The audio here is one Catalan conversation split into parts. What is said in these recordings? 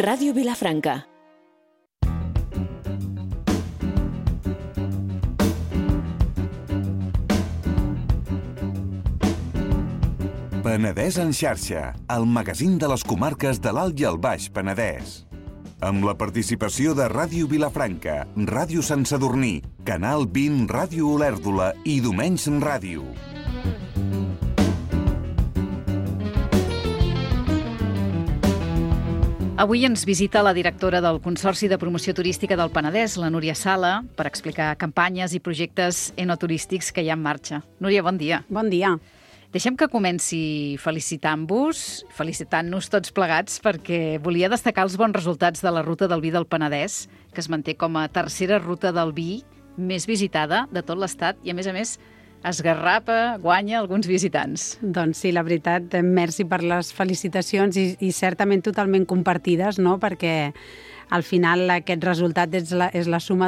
Ràdio Vilafranca. Penedès en xarxa, el magazín de les comarques de l'Alt i el Baix Penedès. Amb la participació de Ràdio Vilafranca, Ràdio Sant Sadurní, Canal 20 Ràdio Olèrdola i Domenys Ràdio. Avui ens visita la directora del Consorci de Promoció Turística del Penedès, la Núria Sala, per explicar campanyes i projectes enoturístics que hi ha en marxa. Núria, bon dia. Bon dia. Deixem que comenci felicitant-vos, felicitant-nos tots plegats, perquè volia destacar els bons resultats de la Ruta del Vi del Penedès, que es manté com a tercera ruta del vi més visitada de tot l'Estat i, a més, esgarrapa, guanya alguns visitants. Doncs sí, la veritat, merci per les felicitacions i certament totalment compartides, no? Perquè al final aquest resultat és la suma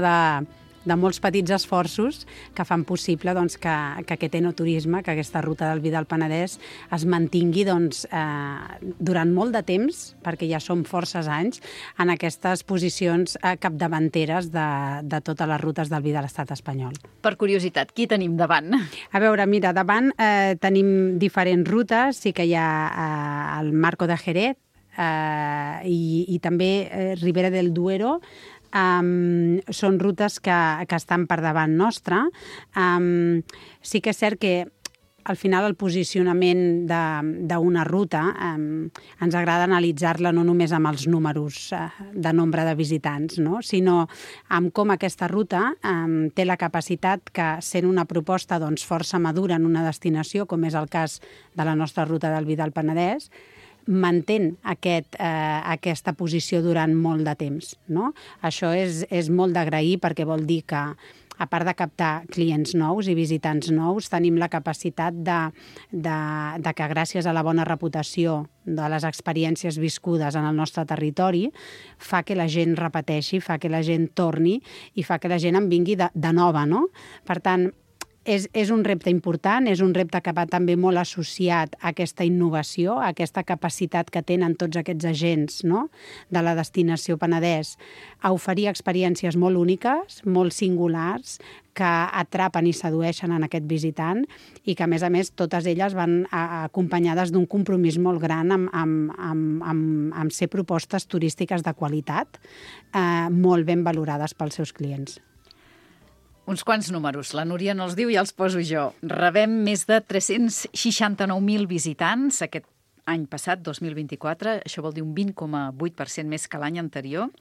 de molts petits esforços que fan possible doncs, que aquest enoturisme, que aquesta ruta del vi del Penedès es mantingui doncs, durant molt de temps, perquè ja som forces anys, en aquestes posicions capdavanteres de totes les rutes del vi de l'estat espanyol. Per curiositat, qui tenim davant? A veure, mira, davant tenim diferents rutes, sí que hi ha el Marco de Jerez i també Ribera del Duero. Són rutes que estan per davant nostra. Sí que és cert que al final el posicionament d'una ruta ens agrada analitzar-la no només amb els números de nombre de visitants, no? Sinó amb com aquesta ruta té la capacitat que, sent una proposta doncs, força madura en una destinació, com és el cas de la nostra ruta del vi del Penedès, mantén aquesta posició durant molt de temps, no? Això és molt d'agrair perquè vol dir que, a part de captar clients nous i visitants nous, tenim la capacitat de que gràcies a la bona reputació de les experiències viscudes en el nostre territori fa que la gent repeteixi, fa que la gent torni i fa que la gent en vingui de nova, no? Per tant, és un repte important, és un repte que va també molt associat a aquesta innovació, a aquesta capacitat que tenen tots aquests agents, no?, de la destinació Penedès a oferir experiències molt úniques, molt singulars, que atrapen i sedueixen en aquest visitant i que, a més, totes elles van acompanyades d'un compromís molt gran amb ser propostes turístiques de qualitat, molt ben valorades pels seus clients. Uns quants números. La Núria no els diu i els poso jo. Rebem més de 369.000 visitants aquest any passat, 2024. Això vol dir un 20,8% més que l'any anterior,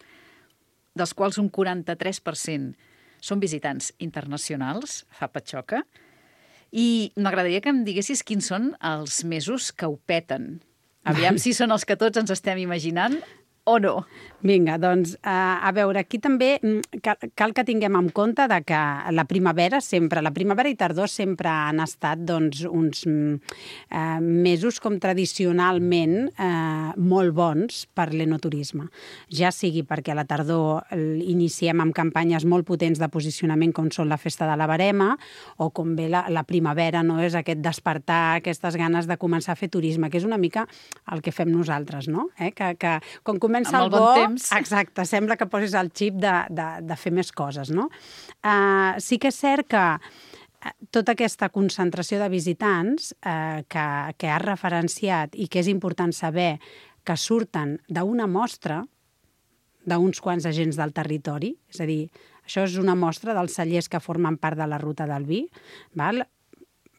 dels quals un 43% són visitants internacionals, fa patxoca. I m'agradaria que em diguessis quins són els mesos que ho peten. Aviam si són els que tots ens estem imaginant o no. Vinga, doncs, a veure, aquí també cal que tinguem en compte de que la primavera i tardor sempre han estat doncs, uns mesos com tradicionalment molt bons per l'enoturisme. Ja sigui perquè a la tardor iniciem amb campanyes molt potents de posicionament com són la Festa de la Verema o com ve la primavera, no? És aquest despertar, aquestes ganes de començar a fer turisme, que és una mica el que fem nosaltres, no? Que quan comença amb el bon temps. Exacte, sembla que posis el xip de fer més coses, no? Sí que és cert que tota aquesta concentració de visitants que has referenciat i que és important saber que surten d'una mostra d'uns quants agents del territori, és a dir, això és una mostra dels cellers que formen part de la ruta del vi, val?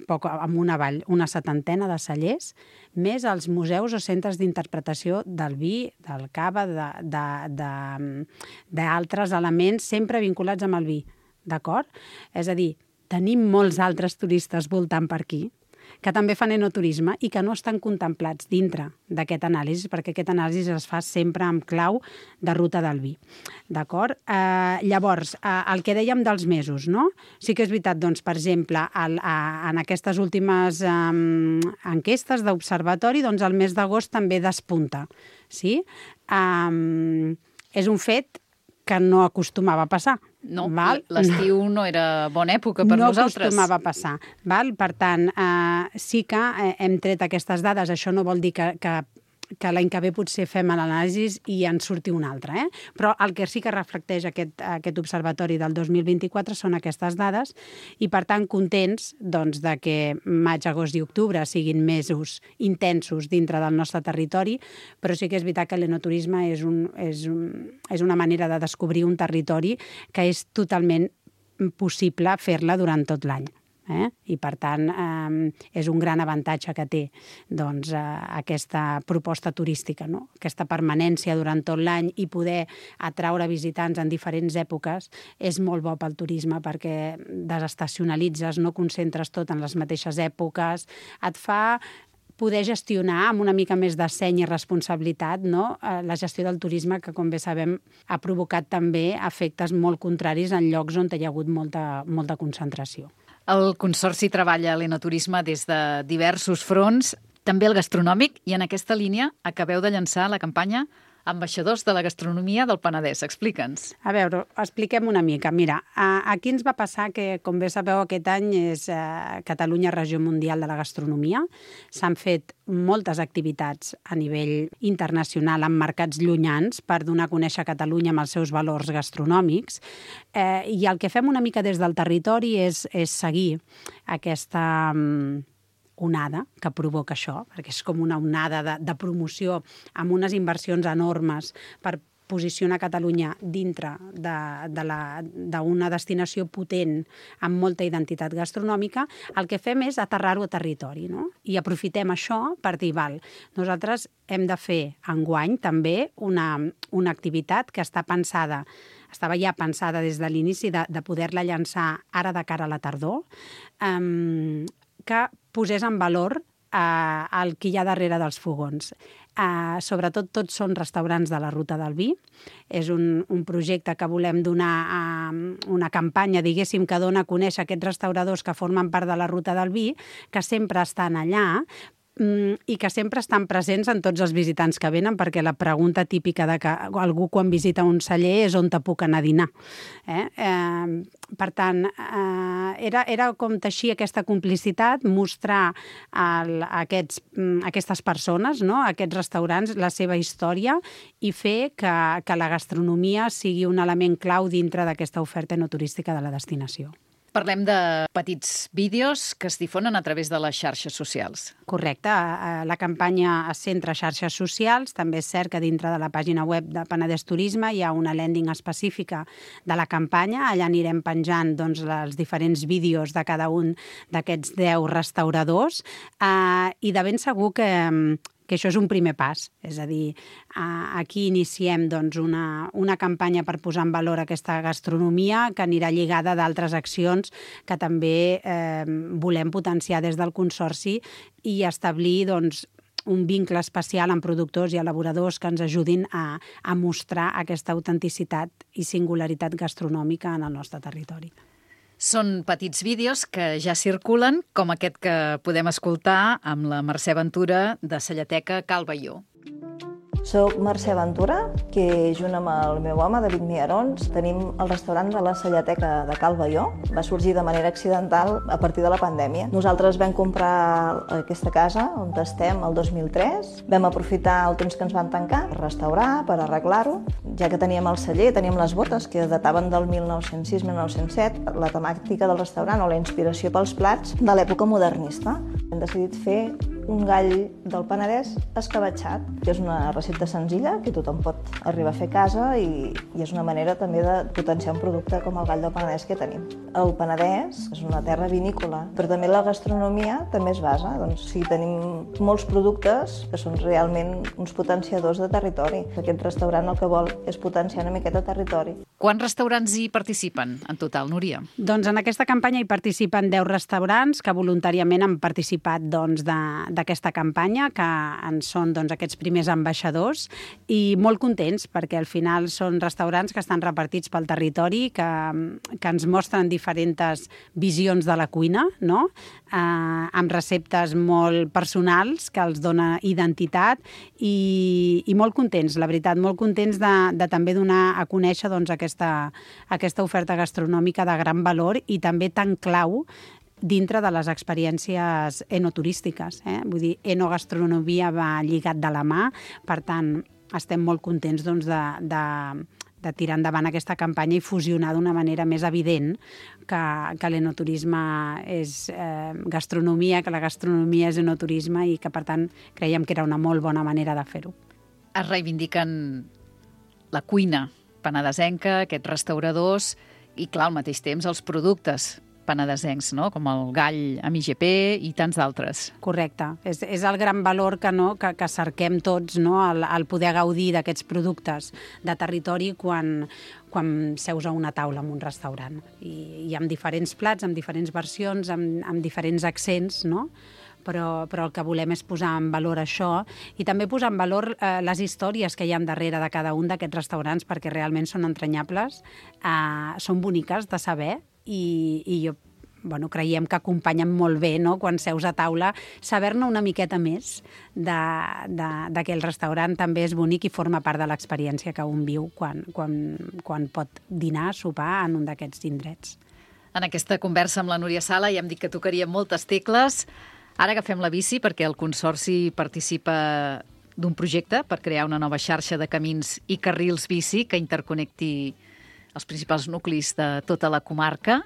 Poc amunt avall, una 70 de cellers, més els museus o centres d'interpretació del vi, del cava, d'altres elements sempre vinculats amb el vi, d'acord? És a dir, tenim molts altres turistes voltant per aquí que també fan enoturisme i que no estan contemplats dintre d'aquest anàlisi, perquè aquest anàlisi es fa sempre amb clau de ruta del vi. D'acord? Llavors, el que dèiem dels mesos, no? Sí que és veritat, doncs, per exemple, en aquestes últimes enquestes d'observatori, doncs el mes d'agost també despunta. Sí? És un fet que no acostumava a passar. No, l'estiu no era bona època per nosaltres. No acostumava a passar. Val? Per tant, sí que hem tret aquestes dades. Això no vol dir que l'any que ve potser fem l'anàlisi i en surti un altre. Però el que sí que reflecteix aquest observatori del 2024 són aquestes dades i, per tant, contents doncs, de que maig, agost i octubre siguin mesos intensos dintre del nostre territori, però sí que és veritat que l'enoturisme és una manera de descobrir un territori que és totalment possible fer-la durant tot l'any. I, per tant, és un gran avantatge que té doncs, aquesta proposta turística, no? Aquesta permanència durant tot l'any i poder atraure visitants en diferents èpoques és molt bo pel turisme perquè desestacionalitzes, no concentres tot en les mateixes èpoques, et fa poder gestionar amb una mica més de seny i responsabilitat, no? La gestió del turisme, que, com bé sabem, ha provocat també efectes molt contraris en llocs on hi ha hagut molta concentració. El Consorci treballa a l'enoturisme des de diversos fronts, també el gastronòmic, i en aquesta línia acabeu de llançar la campanya Ambaixadors de la Gastronomia del Penedès. Explica'ns. A veure, expliquem una mica. Mira, aquí ens va passar que, com bé sabeu, aquest any és Catalunya Regió Mundial de la Gastronomia. S'han fet moltes activitats a nivell internacional en mercats llunyans per donar a conèixer Catalunya amb els seus valors gastronòmics. I el que fem una mica des del territori és seguir aquesta onada que provoca això, perquè és com una onada de promoció amb unes inversions enormes per posicionar Catalunya dintre d'una destinació potent amb molta identitat gastronòmica. El que fem és aterrar-ho a territori, no? I aprofitem això per dir, nosaltres hem de fer enguany també una activitat que estava ja pensada des de l'inici de poder-la llançar ara de cara a la tardor, que posés en valor el que hi ha darrere dels fogons. Sobretot tots són restaurants de la Ruta del Vi. És un projecte que volem donar una campanya, diguéssim, que dona a conèixer aquests restauradors que formen part de la Ruta del Vi, que sempre estan allà, i que sempre estan presents en tots els visitants que venen, perquè la pregunta típica de que algú quan visita un celler és on te puc anar a dinar. Per tant, era com teixir aquesta complicitat, mostrar a aquestes persones, no? A aquests restaurants, la seva història i fer que la gastronomia sigui un element clau dintre d'aquesta oferta enoturística de la destinació. Parlem de petits vídeos que es difonen a través de les xarxes socials. Correcte. La campanya es centra a xarxes socials. També és cert que dintre de la pàgina web de Penedès Turisme hi ha una landing específica de la campanya. Allà anirem penjant els diferents vídeos de cada un d'aquests 10 restauradors i de ben segur que això és un primer pas. És a dir, aquí iniciem una campanya per posar en valor aquesta gastronomia que anirà lligada d'altres accions que també volem potenciar des del Consorci i establir un vincle especial amb productors i elaboradors que ens ajudin a mostrar aquesta autenticitat i singularitat gastronòmica en el nostre territori. Són petits vídeos que ja circulen, com aquest que podem escoltar amb la Mercè Ventura de Sallateca Cal Baió. Soc Mercè Ventura, que junt amb el meu home, David Miarons, tenim el restaurant de la Sallateca de Cal Baió. Va sorgir de manera accidental a partir de la pandèmia. Nosaltres vam comprar aquesta casa on estem el 2003. Vam aprofitar el temps que ens van tancar per restaurar, per arreglar-ho. Ja que teníem el celler, teníem les botes que dataven del 1906-1907, la temàtica del restaurant o la inspiració pels plats de l'època modernista. Hem decidit fer un gall del Penedès escabatxat, que és una recepta senzilla que tothom pot arribar a fer a casa i és una manera també de potenciar un producte com el gall del Penedès que tenim. El Penedès és una terra vinícola, però també la gastronomia també es basa. Tenim molts productes que són realment uns potenciadors de territori. Aquest restaurant el que vol és potenciar una miqueta territori. Quants restaurants hi participen en total, Núria? Doncs en aquesta campanya hi participen 10 restaurants que voluntàriament han participat d'aquesta campanya, que en són aquests primers ambaixadors, i molt contents perquè al final són restaurants que estan repartits pel territori, que ens mostren diferents visions de la cuina, no? Amb receptes molt personals que els dona identitat i molt contents, la veritat, molt contents de també donar a conèixer aquesta oferta gastronòmica de gran valor i també tan clau dintre de les experiències enoturístiques. Vull dir, enogastronomia va lligat de la mà, per tant, estem molt contents doncs, de tirar endavant aquesta campanya i fusionar d'una manera més evident que l'enoturisme és gastronomia, que la gastronomia és enoturisme i que, per tant, creiem que era una molt bona manera de fer-ho. Es reivindiquen la cuina penedesenca, aquests restauradors i, clar, al mateix temps, els productes penedesencs, no? Com el gall amb IGP i tants d'altres. Correcte. És el gran valor que cerquem tots, no? el poder gaudir d'aquests productes de territori quan seus a una taula en un restaurant. I amb diferents plats, amb diferents versions, amb diferents accents, no? Però el que volem és posar en valor això i també posar en valor les històries que hi ha darrere de cada un d'aquests restaurants, perquè realment són entranyables, són boniques de saber i creiem que acompanyen molt bé, no? Quan seus a taula, saber-ne una miqueta més d'aquell restaurant també és bonic i forma part de l'experiència que un viu quan pot dinar, sopar en un d'aquests indrets. En aquesta conversa amb la Núria Sala ja hem dit que tocaríem moltes tecles. Ara agafem la bici perquè el Consorci participa d'un projecte per crear una nova xarxa de camins i carrils bici que interconnecti els principals nuclis de tota la comarca.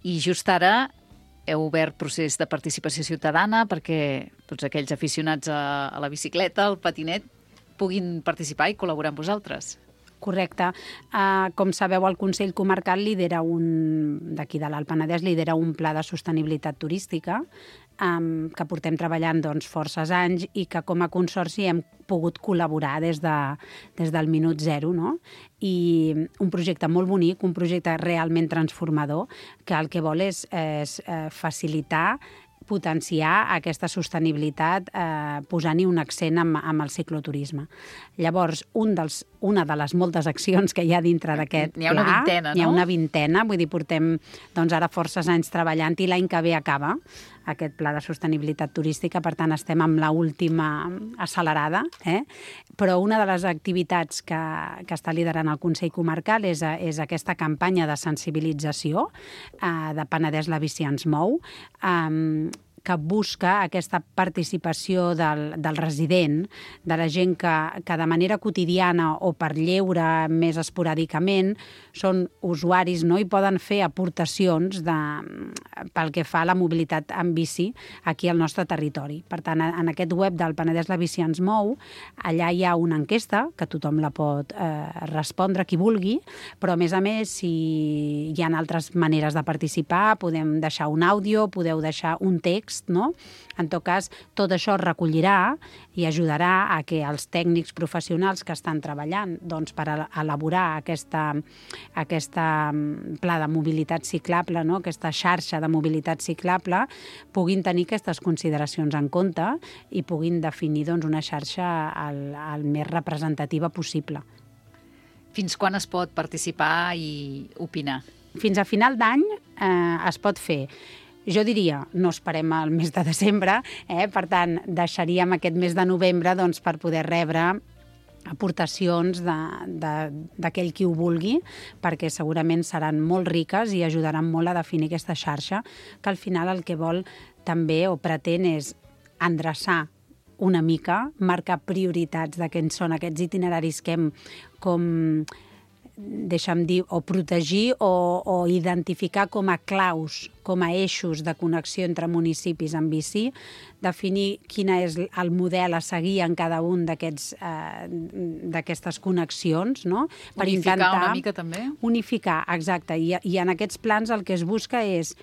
I just ara heu obert procés de participació ciutadana perquè tots aquells aficionats a la bicicleta, al patinet, puguin participar i col·laborar amb vosaltres. Correcte. Com sabeu, el Consell Comarcal d'aquí de l'Alt Penedès lidera un pla de sostenibilitat turística que portem treballant forces anys i que com a consorci hem pogut col·laborar des del minut zero, no? I un projecte molt bonic, un projecte realment transformador, que el que vol és facilitar, potenciar aquesta sostenibilitat posant-hi un accent amb el cicloturisme. Llavors, una de les moltes accions que hi ha dintre d'aquest pla... N'hi ha una vintena, no? N'hi ha una vintena, vull dir, portem ara forces anys treballant i l'any que ve acaba aquest pla de sostenibilitat turística, per tant estem amb l'última accelerada, però una de les activitats que està liderant el Consell Comarcal és aquesta campanya de sensibilització de Penedès la bici ens mou, que busca aquesta participació del resident, de la gent que de manera quotidiana o per lleure més esporàdicament són usuaris, no? I poden fer aportacions pel que fa a la mobilitat en bici aquí al nostre territori. Per tant, en aquest web del Penedès la bici ens mou, allà hi ha una enquesta que tothom la pot respondre qui vulgui, però a més, si hi ha altres maneres de participar, podem deixar un àudio, podeu deixar un text, no? En tot cas, tot això es recollirà i ajudarà a que els tècnics professionals que estan treballant per elaborar aquesta pla de mobilitat ciclable, no? Aquesta xarxa de mobilitat ciclable, puguin tenir aquestes consideracions en compte i puguin definir una xarxa el més representativa possible. Fins quan es pot participar i opinar? Fins a final d'any es pot fer. Jo diria, no esperem al mes de desembre, per tant, deixaríem aquest mes de novembre per poder rebre aportacions d'aquell qui ho vulgui, perquè segurament seran molt riques i ajudaran molt a definir aquesta xarxa, que al final el que vol també o pretén és endreçar una mica, marcar prioritats de quins són aquests itineraris que hem deixa'm dir, o protegir o identificar com a claus, com a eixos de connexió entre municipis en bici, definir quin és el model a seguir en cada un d'aquestes connexions, no? Per unificar una mica també? Unificar, exacte. I en aquests plans el que es busca és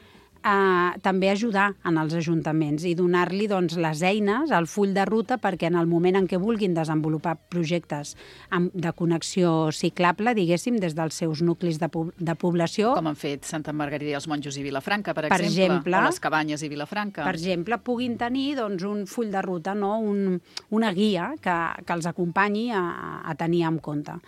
també ajudar en els ajuntaments i donar-li les eines, el full de ruta, perquè en el moment en què vulguin desenvolupar projectes de connexió ciclable, diguéssim, des dels seus nuclis de població... Com han fet Santa Margarida i els Monjos i Vilafranca, per exemple, o les Cabanyes i Vilafranca. Per exemple, puguin tenir un full de ruta, no? Una guia que els acompanyi a tenir en compte.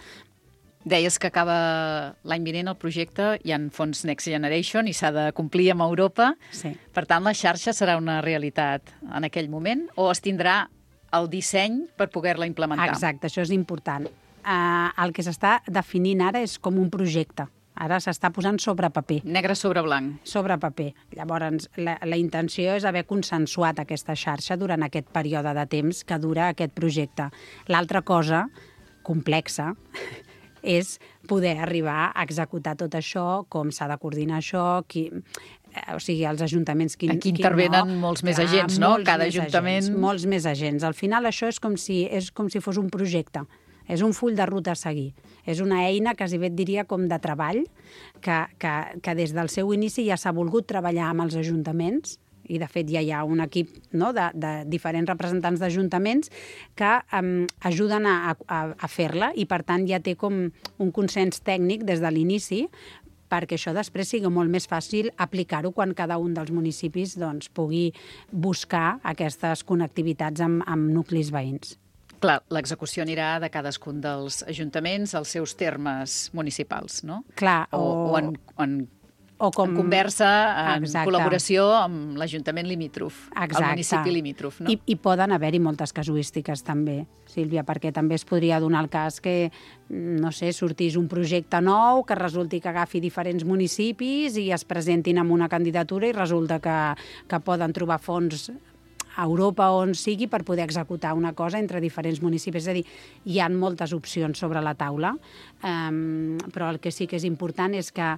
Deies que acaba l'any vinent el projecte, hi ha fons Next Generation i s'ha de complir amb Europa. Sí. Per tant, la xarxa serà una realitat en aquell moment o es tindrà el disseny per poder-la implementar? Exacte, això és important. El que s'està definint ara és com un projecte. Ara s'està posant sobre paper. Negre sobre blanc. Sobre paper. Llavors, la intenció és haver consensuat aquesta xarxa durant aquest període de temps que dura aquest projecte. L'altra cosa complexa és poder arribar a executar tot això, com s'ha de coordinar això, o sigui, els ajuntaments... Aquí intervenen molts més agents, no? Cada ajuntament... Molts més agents. Al final això és com si fos un projecte. És un full de ruta a seguir. És una eina, quasi bé et diria, com de treball, que des del seu inici ja s'ha volgut treballar amb els ajuntaments, i de fet ja hi ha un equip, no?, de diferents representants d'ajuntaments que ajuden a fer-la, i per tant ja té com un consens tècnic des de l'inici perquè això després sigui molt més fàcil aplicar-ho quan cada un dels municipis doncs, pugui buscar aquestes connectivitats amb nuclis veïns. Clar, l'execució anirà de cadascun dels ajuntaments als seus termes municipals, no? Clar, en conversa, en col·laboració amb l'Ajuntament limítrof, el municipi limítrof, no? I poden haver-hi moltes casuístiques també, Sílvia, perquè també es podria donar el cas que, no sé, sortís un projecte nou, que resulti que agafi diferents municipis i es presentin amb una candidatura i resulta que poden trobar fons a Europa o on sigui per poder executar una cosa entre diferents municipis. És a dir, hi ha moltes opcions sobre la taula, però el que sí que és important és que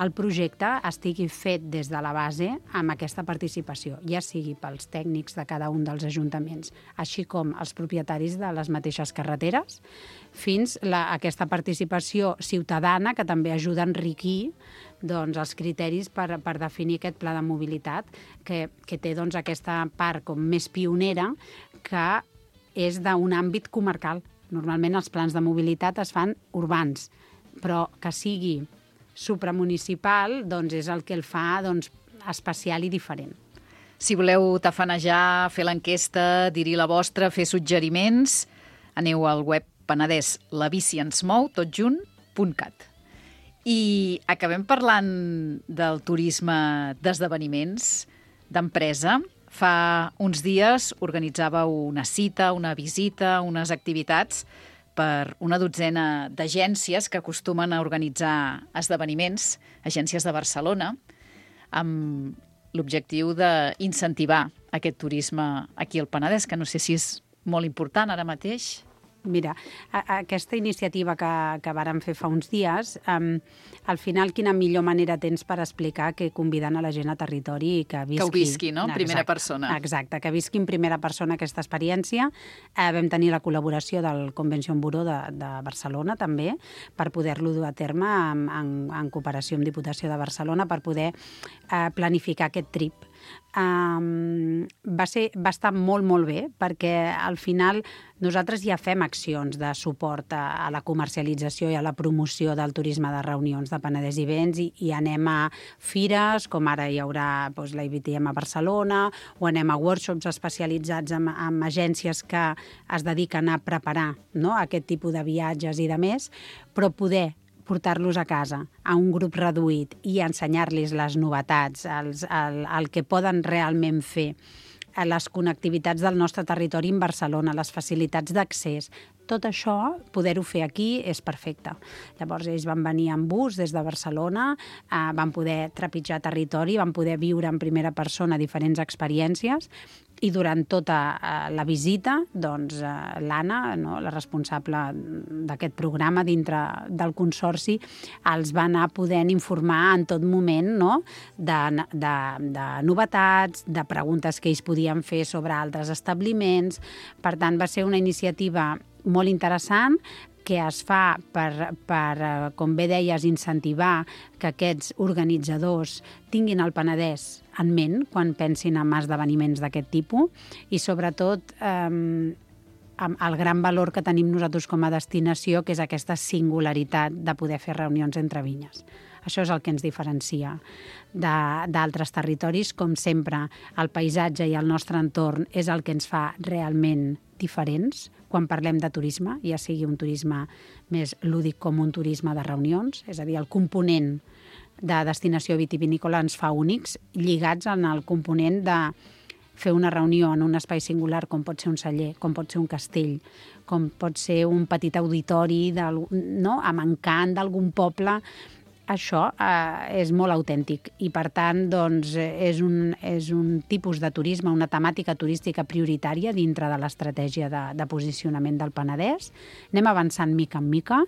el projecte estigui fet des de la base amb aquesta participació, ja sigui pels tècnics de cada un dels ajuntaments, així com els propietaris de les mateixes carreteres, fins a aquesta participació ciutadana que també ajuda a enriquir doncs, els criteris per definir aquest pla de mobilitat, que té doncs, aquesta part com més pionera, que és d'un àmbit comarcal. Normalment els plans de mobilitat es fan urbans, però que sigui supramunicipal doncs, és el que el fa doncs, especial i diferent. Si voleu tafanejar, fer l'enquesta, dir-hi la vostra, fer suggeriments, aneu al web Penedès, la bici ens mou, totjunt.cat. I acabem parlant del turisme d'esdeveniments, d'empresa. Fa uns dies organitzàveu una cita, una visita, unes activitats per una dotzena d'agències que acostumen a organitzar esdeveniments, agències de Barcelona, amb l'objectiu d'incentivar aquest turisme aquí al Penedès, que no sé si és molt important ara mateix. Mira, aquesta iniciativa que vàrem fer fa uns dies, al final quina millor manera tens per explicar que convidant a la gent a territori i que visqui... Que ho visqui, no?, en primera persona. Exacte, que visqui en primera persona aquesta experiència. Vam tenir la col·laboració del Convention Bureau de Barcelona, també, per poder-lo dur a terme en cooperació amb Diputació de Barcelona per poder planificar aquest trip. Va estar molt, molt bé, perquè al final nosaltres ja fem accions de suport a la comercialització i a la promoció del turisme de reunions de Penedès i Vents i anem a fires, com ara hi haurà la IBTM a Barcelona, o anem a workshops especialitzats amb agències que es dediquen a preparar, no?, aquest tipus de viatges i de més, però poder portar-los a casa, a un grup reduït i ensenyar-los les novetats, el que poden realment fer, les connectivitats del nostre territori en Barcelona, les facilitats d'accés, tot això, poder-ho fer aquí és perfecte. Llavors, ells van venir en bus des de Barcelona, van poder trepitjar territori, van poder viure en primera persona diferents experiències i durant tota la visita, doncs, l'Anna, no, la responsable d'aquest programa dintre del Consorci, els va anar podent informar en tot moment, no?, de novetats, de preguntes que ells podien fer sobre altres establiments. Per tant, va ser una iniciativa molt interessant que es fa per, com bé deies, incentivar que aquests organitzadors tinguin el Penedès en ment quan pensin en esdeveniments d'aquest tipus i, sobretot, amb el gran valor que tenim nosaltres com a destinació, que és aquesta singularitat de poder fer reunions entre vinyes. Això és el que ens diferencia d'altres territoris. Com sempre, el paisatge i el nostre entorn és el que ens fa realment diferents quan parlem de turisme, ja sigui un turisme més lúdic com un turisme de reunions, és a dir, el component de destinació vitivinícola ens fa únics, lligats en el component de fer una reunió en un espai singular, com pot ser un celler, com pot ser un castell, com pot ser un petit auditori amb encant d'algun poble, això és molt autèntic i, per tant, doncs, és un tipus de turisme, una temàtica turística prioritària dintre de l'estratègia de posicionament del Penedès. Anem avançant mica en mica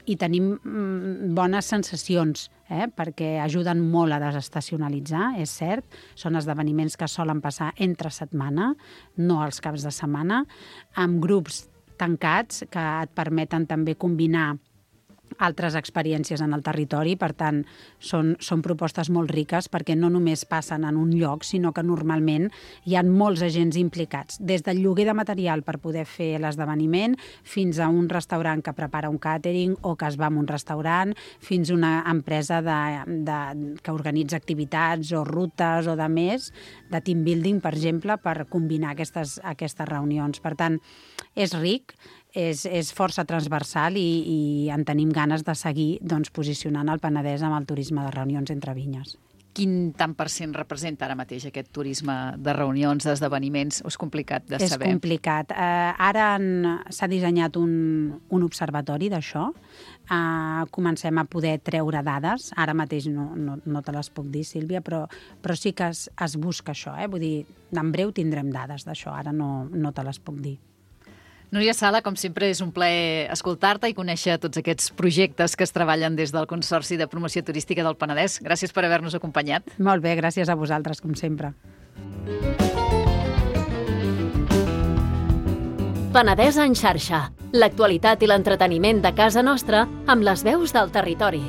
i tenim bones sensacions, perquè ajuden molt a desestacionalitzar, és cert. Són esdeveniments que solen passar entre setmana, no els caps de setmana, amb grups tancats que et permeten també combinar altres experiències en el territori. Per tant, són propostes molt riques perquè no només passen en un lloc, sinó que normalment hi ha molts agents implicats, des del lloguer de material per poder fer l'esdeveniment, fins a un restaurant que prepara un càtering o que es va a un restaurant, fins a una empresa que organitza activitats o rutes o de més, de team building, per exemple, per combinar aquestes reunions. Per tant, és ric, és força transversal i en tenim ganes de seguir posicionant el Penedès amb el turisme de reunions entre vinyes. Quin tant per cent representa ara mateix aquest turisme de reunions, d'esdeveniments? És complicat de saber. És complicat. Ara s'ha dissenyat un observatori d'això. Comencem a poder treure dades. Ara mateix no te les puc dir, Sílvia, però sí que es busca això. Vull dir, en breu tindrem dades d'això. Ara no te les puc dir. Núria Sala, com sempre, és un plaer escoltar-te i conèixer tots aquests projectes que es treballen des del Consorci de Promoció Turística del Penedès. Gràcies per haver-nos acompanyat. Molt bé, gràcies a vosaltres, com sempre. Penedès en xarxa. L'actualitat i l'entreteniment de casa nostra amb les veus del territori.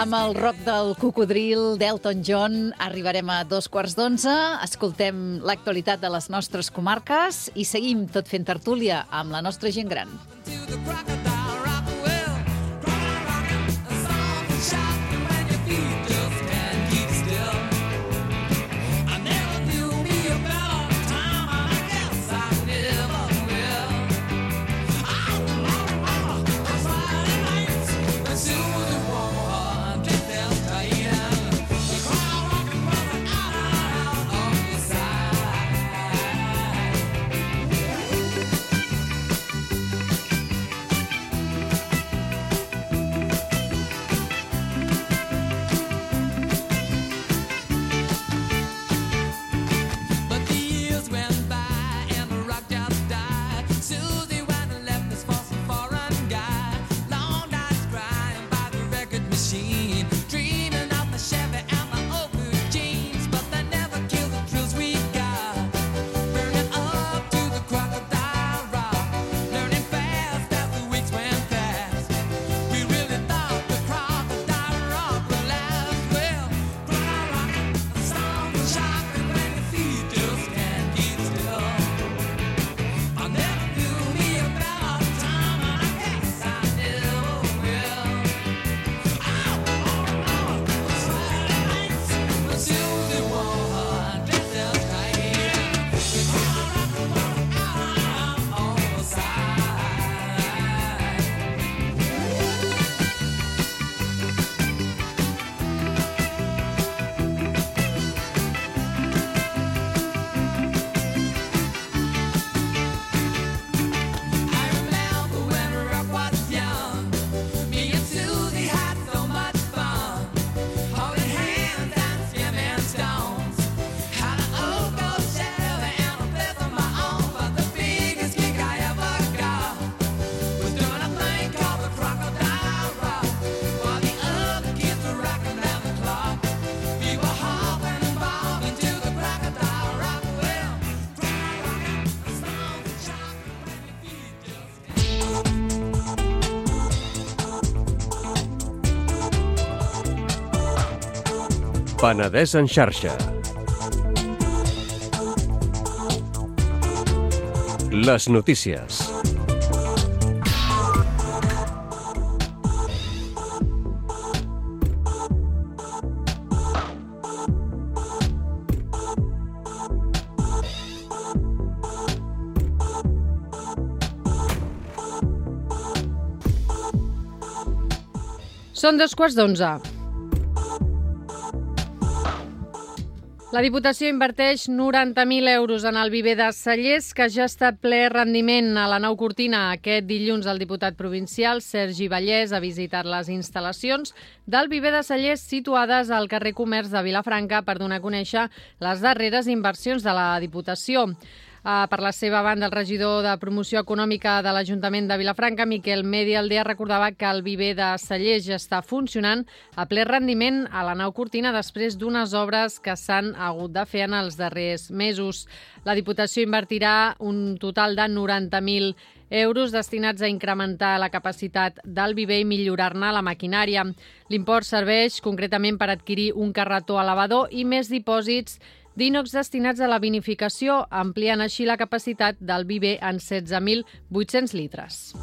Amb el rock del cocodril d'Elton John arribarem a 11:15. Escoltem l'actualitat de les nostres comarques i seguim tot fent tertúlia amb la nostra gent gran. Penedès en xarxa. Les notícies. Són 11:15. La Diputació inverteix 90.000 euros en el viver de Cellers, que ja està ple rendiment a la nau Cortina. Aquest dilluns el diputat provincial Sergi Vallès ha visitat les instal·lacions del viver de Cellers situades al carrer Comerç de Vilafranca per donar a conèixer les darreres inversions de la Diputació. Per la seva banda, el regidor de Promoció Econòmica de l'Ajuntament de Vilafranca, Miquel Medialdea, recordava que el viver de Cellers ja està funcionant a ple rendiment a la nau Cortina després d'unes obres que s'han hagut de fer en els darrers mesos. La Diputació invertirà un total de 90.000 euros destinats a incrementar la capacitat del viver i millorar-ne la maquinària. L'import serveix concretament per adquirir un carretó elevador i més dipòsits d'ínox destinats a la vinificació, ampliant així la capacitat del viver en 16.800 litres.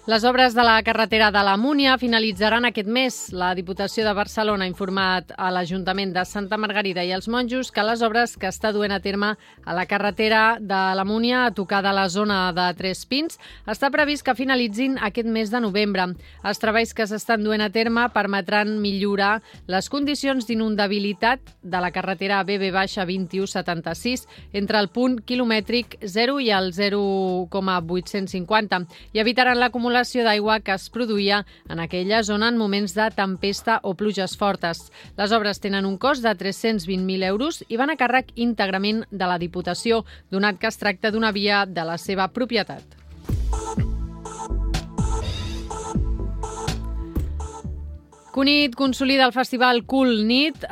Les obres de la carretera de la Múnia finalitzaran aquest mes. La Diputació de Barcelona ha informat a l'Ajuntament de Santa Margarida i els Monjos que les obres que està duent a terme a la carretera de la Múnia, a tocar de la zona de Tres Pins, està previst que finalitzin aquest mes de novembre. Els treballs que s'estan duent a terme permetran millorar les condicions d'inundabilitat de la carretera BB-2176 entre el punt quilomètric 0 i el 0,850 i evitaran l'acumulació d'aigua que es produïa en aquella zona en moments de tempesta o pluges fortes. Les obres tenen un cost de 320.000 euros i van a càrrec íntegrament de la Diputació, donat que es tracta d'una via de la seva propietat. Cunit consolida el festival Cool Nit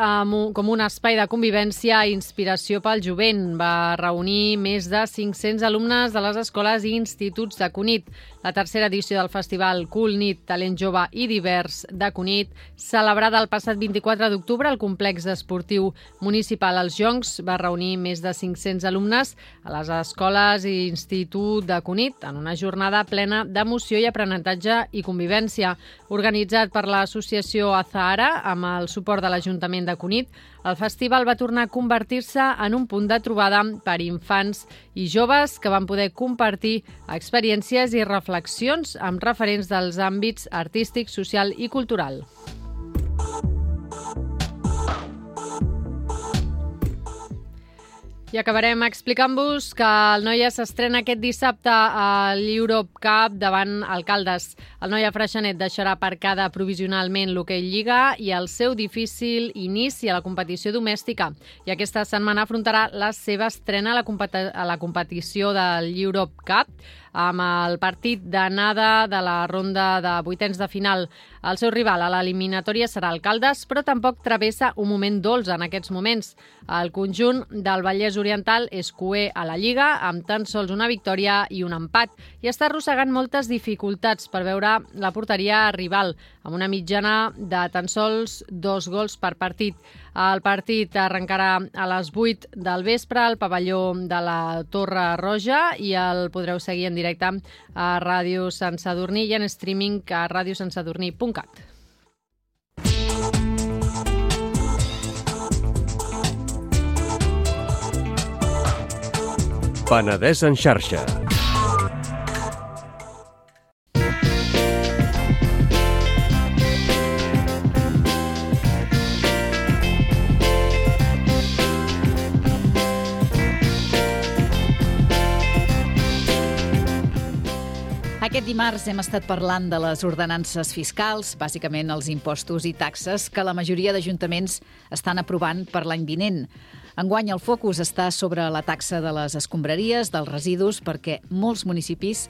com un espai de convivència i inspiració pel jovent. Va reunir més de 500 alumnes de les escoles i instituts de Cunit. La tercera edició del festival Cool Nit, Talent Jove i Divers de Cunit, celebrada el passat 24 d'octubre al complex esportiu municipal Els Joncs, va reunir més de 500 alumnes a les escoles i institut de Cunit en una jornada plena d'emoció i aprenentatge i convivència. Organitzat per l'associació Azahara, amb el suport de l'Ajuntament de Cunit, el festival va tornar a convertir-se en un punt de trobada per infants i joves que van poder compartir experiències i reflexions amb referents dels àmbits artístic, social i cultural. I acabarem explicant-vos que el Noia s'estrena aquest dissabte a l'Europe Cup davant Alcaldes. El Noia Freixenet deixarà aparcada provisionalment l'Hockey Lliga i el seu difícil inici a la competició domèstica. I aquesta setmana afrontarà la seva estrena a la competició de l'Europe Cup amb el partit d'anada de la ronda de vuitens de final. El seu rival a l'eliminatòria serà Alcaldes, però tampoc travessa un moment dolç en aquests moments. El conjunt del Vallès Oriental és cuer a la Lliga, amb tan sols una victòria i un empat, i està arrossegant moltes dificultats per veure la porteria rival, amb una mitjana de tan sols 2 gols per partit. El partit arrencarà a les 8 del vespre al pavelló de la Torre Roja i el podreu seguir en directe a Ràdio Sant Sadurní i en streaming a radiosantsadurní.cat. Penedès en xarxa. Aquest dimarts hem estat parlant de les ordenances fiscals, bàsicament els impostos i taxes que la majoria d'ajuntaments estan aprovant per l'any vinent. Enguany el focus està sobre la taxa de les escombraries, dels residus, perquè molts municipis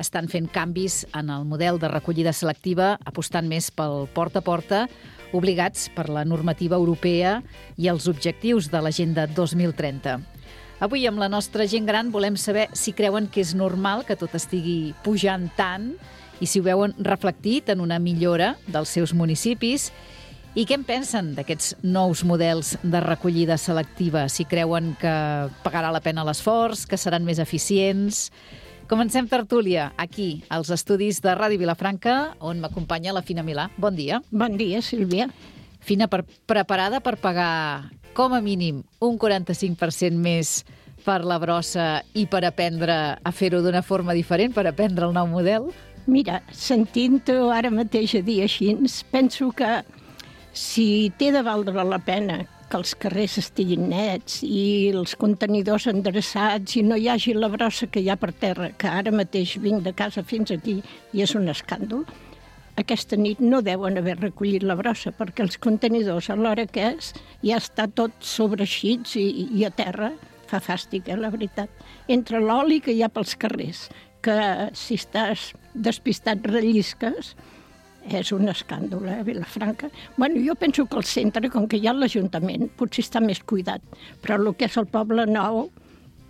estan fent canvis en el model de recollida selectiva, apostant més pel porta a porta, obligats per la normativa europea i els objectius de l'Agenda 2030. Avui, amb la nostra gent gran, volem saber si creuen que és normal que tot estigui pujant tant i si ho veuen reflectit en una millora dels seus municipis I què en pensen d'aquests nous models de recollida selectiva? Si creuen que pagarà la pena l'esforç, que seran més eficients... Comencem tertúlia aquí, als estudis de Ràdio Vilafranca, on m'acompanya la Fina Milà. Bon dia. Bon dia, Sílvia. Fina, preparada per pagar com a mínim un 45% més per la brossa i per aprendre a fer-ho d'una forma diferent, per aprendre el nou model? Mira, sentint-ho ara mateix a dir així, penso que si té de valdre la pena que els carrers estiguin nets i els contenidors endreçats i no hi hagi la brossa que hi ha per terra, que ara mateix vinc de casa fins aquí i és un escàndol, aquesta nit no deuen haver recollit la brossa perquè els contenidors a l'hora que és ja està tot sobreeixits i a terra. Fa fàstic, la veritat. Entre l'oli que hi ha pels carrers, que si estàs despistat rellisques, és un escàndol, a Vilafranca. Bueno, jo penso que el centre, com que hi ha l'Ajuntament, potser està més cuidat, però el que és el Poble Nou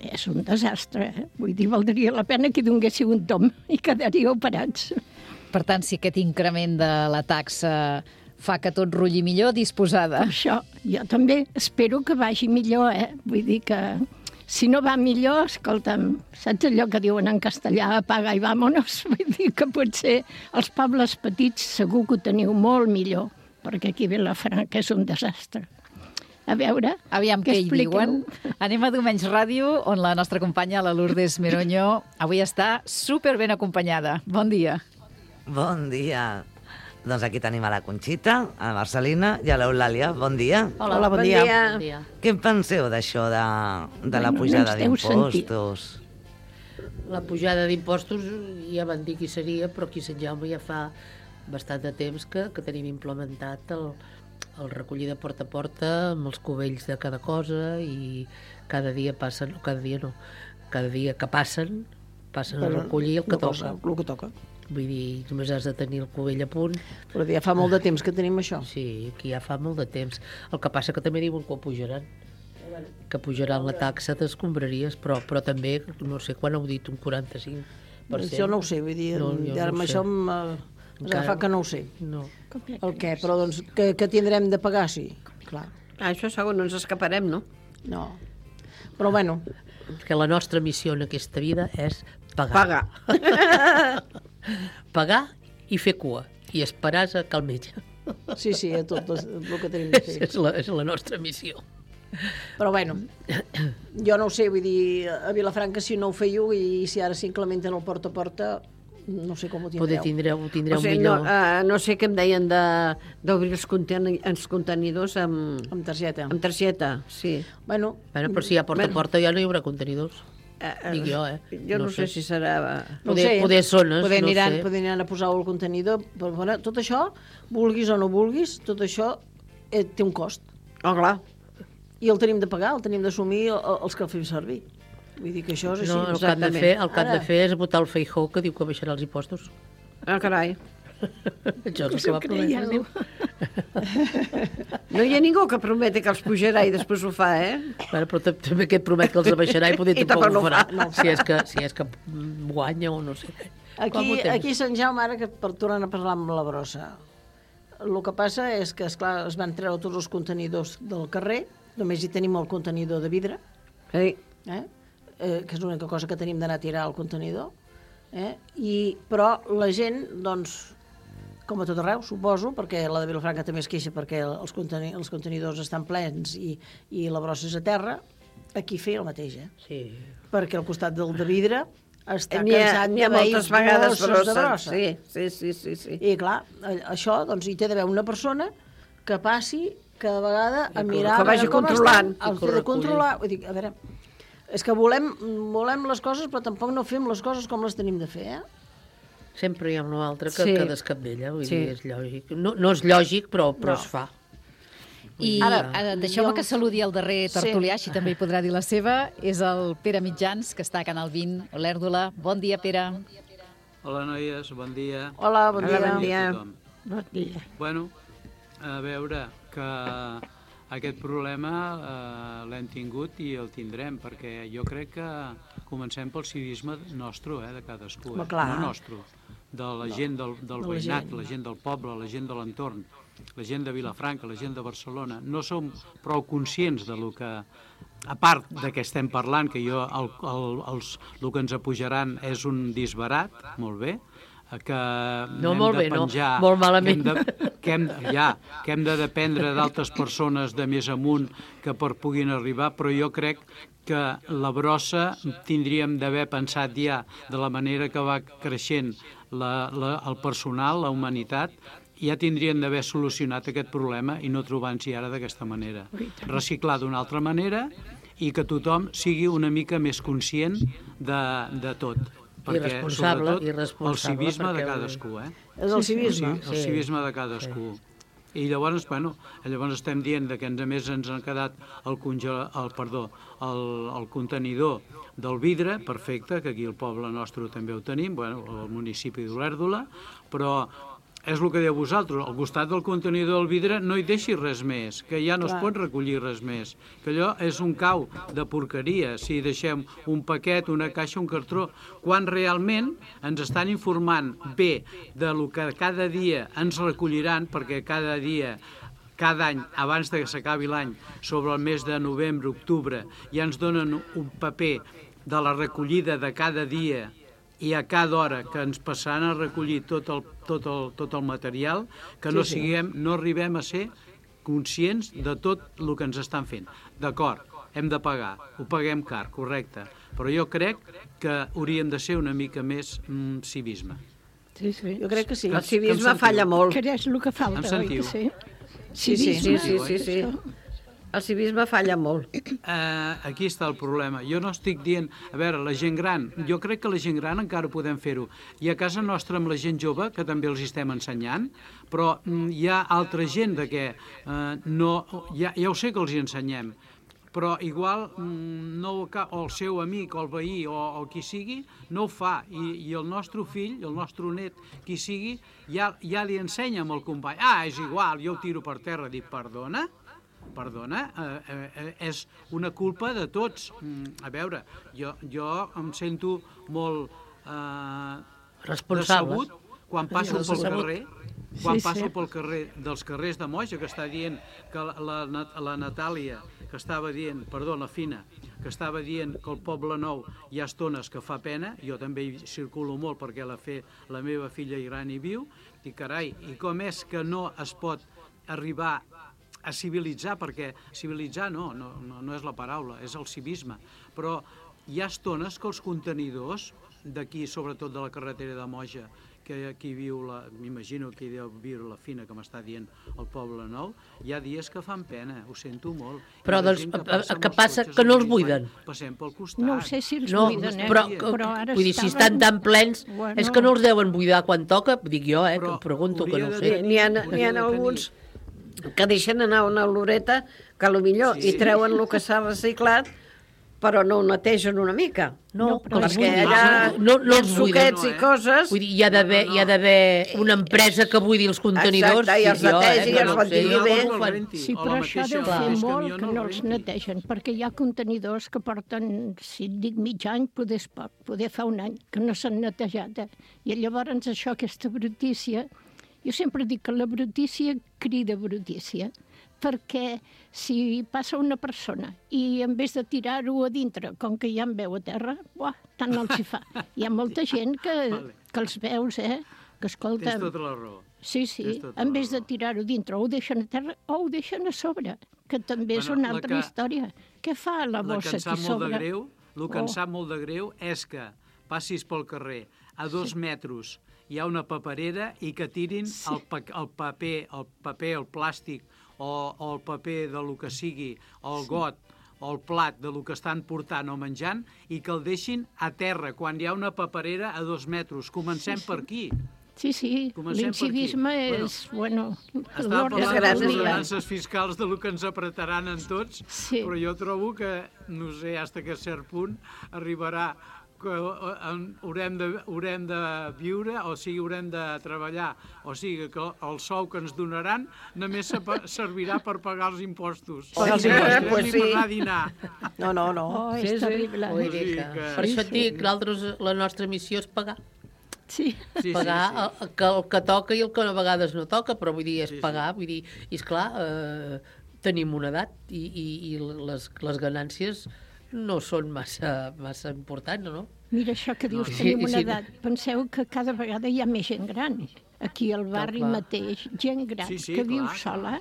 és un desastre. Vull dir, valdria la pena que donguéssiu un tom i quedaríeu parats. Per tant, si aquest increment de la taxa fa que tot rulli millor, disposada. Per això, jo també espero que vagi millor, Vull dir que si no va millor, escolta'm, saps allò que diuen en castellà, apaga i vámonos? Vull dir que potser els pobles petits segur que ho teniu molt millor, perquè aquí a Vilafranca és un desastre. A veure, aviam què hi diuen. Anem a Diumenge Ràdio, on la nostra companya, la Lourdes Meroño, avui està super ben acompanyada. Bon dia. Bon dia. Doncs aquí tenim a la Conxita, a la Marcelina i a l'Eulàlia. Bon dia. Hola, bon dia. Bon dia. Què en penseu d'això de la pujada d'impostos? La pujada d'impostos ja van dir qui seria, però aquí Sant Jaume ja fa bastant de temps que tenim implementat el recollida porta a porta amb els cubells de cada cosa i cada dia passen, cada dia que passen a recollir el que toca. El que toca. Vull dir, només has de tenir el cubell a punt. Però ja fa molt de temps que tenim això. Sí, aquí ja fa molt de temps. El que passa que també diuen que ho pujaran. Que pujaran la taxa d'escombraries, però també, no sé quan heu dit, un 45%. Això no ho sé, vull dir, ara amb això fa que no ho sé. No. El què? Però doncs que tindrem de pagar, sí. Clar. Això segur, no ens escaparem, no? No. Però bueno. Que la nostra missió en aquesta vida és pagar. Pagar i fer cua. I esperar a que el metge. Sí, a tot el que tenim de fer. És la nostra missió. Però bueno, jo no ho sé, vull dir, a Vilafranca si no ho fèieu i si ara s'incrementen el porta a porta, no sé com ho tindreu. Poder tindreu millor. No sé què em deien d'obrir els contenidors amb targeta. Amb targeta, sí. Bueno, però si hi ha porta a porta ja no hi haurà contenidors. Dic jo, Jo no sé si serà... Poder zones, poder aniran a posar el contenidor. Però, bueno, tot això, vulguis o no vulguis, tot això té un cost. Oh, clar. I el tenim de pagar, el tenim d'assumir els que el fem servir. Vull dir que això és així. No, el que han de fer és votar el Feijóo, que diu que baixarà els impostos. Ah, carai. Això és el que va prometre. No hi ha ningú que prometi que els pujarà i després ho fa, Però també que et promet que els baixarà i poder tampoc ho farà. Si és que guanya o no sé què. Aquí a Sant Jaume, ara que tornant a parlar amb la brossa, el que passa és que, esclar, es van treure tots els contenidors del carrer, només hi tenim el contenidor de vidre, que és l'única cosa que tenim d'anar a tirar al contenidor, però la gent, doncs, com a tot arreu, suposo, perquè la de Vilafranca també es queixa perquè els contenidors estan plens i la brossa és a terra, aquí feia el mateix, Sí. Perquè al costat del de vidre està cansat de moltes vegades bosses de brossa. Sí. I clar, això, doncs, hi té d'haver una persona que passi cada vegada a mirar... Que vagi controlant. El fer de controlar. Vull dir, a veure, és que volem les coses, però tampoc no fem les coses com les tenim de fer, Sempre hi ha una altra que descabella, vull dir, és lògic. No és lògic, però es fa. I ara deixeu-me que saludi el darrer tertulià, així també hi podrà dir la seva, és el Pere Mitjans, que està a Canal 20, Olèrdola. Bon dia, Pere. Hola, noies, bon dia. Hola, bon dia. Bon dia. Bueno, a veure, que aquest problema l'hem tingut i el tindrem, perquè jo crec que comencem pel civisme nostre, de cadascú, no nostre, de la gent del veïnat, la gent del poble, la gent de l'entorn, la gent de Vilafranca, la gent de Barcelona, no som prou conscients de lo que, a part de què estem parlant, que el que ens apujaran és un disbarat, molt bé, que no, molt bé, penjar, no, molt malament. Que hem de dependre d'altres persones de més amunt que puguin arribar, però jo crec que la brossa tindríem d'haver pensat ja de la manera que va creixent el personal, la humanitat, ja tindrien d'haver solucionat aquest problema i no trobant-s'hi ara d'aquesta manera. Reciclar d'una altra manera i que tothom sigui una mica més conscient de tot. Perquè, sobretot, el civisme de cadascú. És el civisme? El civisme de cadascú. I llavors, llavors estem dient que a més ens han quedat el contenidor del vidre, perfecte, que aquí al poble nostre també ho tenim, al municipi d'Olèrdola, però és el que diu vosaltres, al costat del contenidor del vidre no hi deixi res més, que ja no es pot recollir res més, que allò és un cau de porqueria si deixem un paquet, una caixa, un cartró, quan realment ens estan informant bé de lo que cada dia ens recolliran, perquè cada dia, cada any, abans que s'acabi l'any, sobre el mes de novembre, octubre, ja ens donen un paper de la recollida de cada dia i a cada hora que ens passaran a recollir tot el material, que no arribem a ser conscients de tot el que ens estan fent. D'acord, hem de pagar, ho paguem car, correcte, però jo crec que hauríem de ser una mica més civisme. Sí, jo crec que sí. El civisme falla molt. Que és el que falta, oi que sí? Sí. El civisme falla molt. Aquí està el problema. Jo no estic dient... A veure, la gent gran, jo crec que la gent gran encara podem fer-ho. I a casa nostra amb la gent jove, que també els estem ensenyant, però hi ha altra gent que ja ho sé que els hi ensenyem, però igual o el seu amic o el veí o qui sigui no ho fa, i el nostre fill, el nostre net, qui sigui, ja li ensenya amb el company. És igual, jo ho tiro per terra. Dic, perdona, és una culpa de tots. A veure, jo em sento molt decebut quan passo pel carrer, pel carrer dels carrers de Moja, que està dient que la Natàlia, que estava dient, la Fina, que estava dient que el Poble Nou hi ha estones que fa pena, jo també hi circulo molt perquè la meva filla gran hi viu, i carai, i com és que no es pot arribar a civilitzar, perquè civilitzar no és la paraula, és el civisme, però hi ha estones que els contenidors d'aquí, sobretot de la carretera de Moja, que aquí viu, m'imagino que hi deu viure la Fina, que m'està dient el Poble Nou, hi ha dies que fan pena, ho sento molt. Però què passa? Que no els buiden? Passem pel costat. No sé si els buiden, però ara vull dir, si estan tan plens, és que no els deuen buidar quan toca, dic jo, que em pregunto, que no ho sé. N'hi ha alguns que deixen anar una oloreta que potser hi treuen el que s'ha reciclat, però no ho netegen una mica. No, perquè allà els suquets i coses... Vull dir, hi ha d'haver una empresa que buidi els contenidors. Exacte, i els netegi, i els ventili bé. Sí, però això deu fer molt que no els netegen, perquè hi ha contenidors que porten, si et dic mig any, poder fa un any, que no s'han netejat. I llavors això, aquesta brutícia... Jo sempre dic que la brutícia crida brutícia, perquè si passa una persona i en vez de tirar-ho a dintre, com que ja en veu a terra, tant no els hi fa. Hi ha molta gent que els veus, que escolta... Tens tota la raó. Sí, en vez de tirar-ho dintre, o ho deixen a terra o ho deixen a sobre, que també és una altra història. Què fa la bossa aquí sobre? El que em sap molt de greu és que passis pel carrer a 2 metres hi ha una paperera i que tirin el paper, el plàstic o el paper de lo que sigui, el got o el plat de lo que estan portant o menjant i que el deixin a terra quan hi ha una paperera a 2 metres. Comencem per aquí. Sí, l'incivisme és, Estava parlant de les balances fiscals de lo que ens apretaran en tots, però jo trobo que, no sé, fins que a cert punt arribarà que haurem de viure, o sigui, haurem de treballar, o sigui, que el sou que ens donaran només servirà per pagar els impostos. Per anar a dinar. No. És terrible. Per això et dic, la nostra missió és pagar. Pagar el que toca i el que a vegades no toca, però vull dir, és pagar, vull dir, i esclar, tenim una edat i les ganàncies no són massa importants, no? Mira, això que dius, tenim una edat. Penseu que cada vegada hi ha més gent gran. Aquí al barri mateix, gent gran que viu sola.